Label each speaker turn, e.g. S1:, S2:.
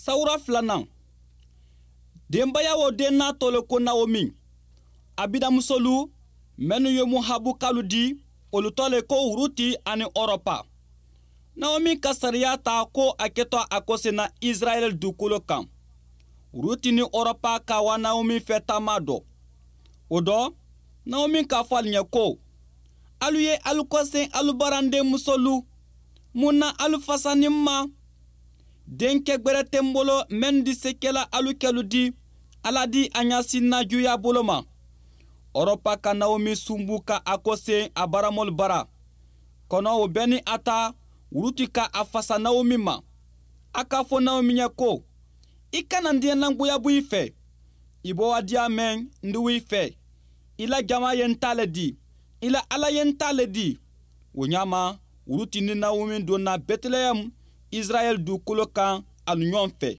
S1: Sawura filanan, denbaya o den n'a tɔ le ko Naomi. A bidamusolu minnu ye Mohabukalu di, olu tɔ le ko Ruti ani Ɔrɔpa. Naomi ka sariya ta ko a kɛtɔ a kɔsenna Israɛl dugukolo kan. Ruti ni Ɔrɔpa ka wa Naomi fɛ taama dɔ. O dɔ, Naomi k'a fɔ alu ɲɛ ko, alu ye alu kɔsen alu baranden musolu, mun na alu fasanin ma? Denkɛ gbɛrɛ tɛ n bolo mɛn di se kɛla alu kɛlu di, Ala di a ɲasinna juya bolo ma. Ɔrɔpa ka Naomi sunbu ka a kɔsen a baramɔlu bara. Kɔnɔ o bɛɛ ni a ta, Ruti ka a fasa Naomi ma. A k'a fɔ Naomi ɲɛ ko, i kana n diɲɛlangoya bɔ i fɛ. I bɔ wa diya mɛn n di i fɛ. I la jama ye n ta le di. I la Ala ye n ta le di. O ɲa ma, Ruti ni Naomi donna Bɛtɛlɛhɛmu, Israɛl dugukolo kan alu ɲɔgɔn fɛ.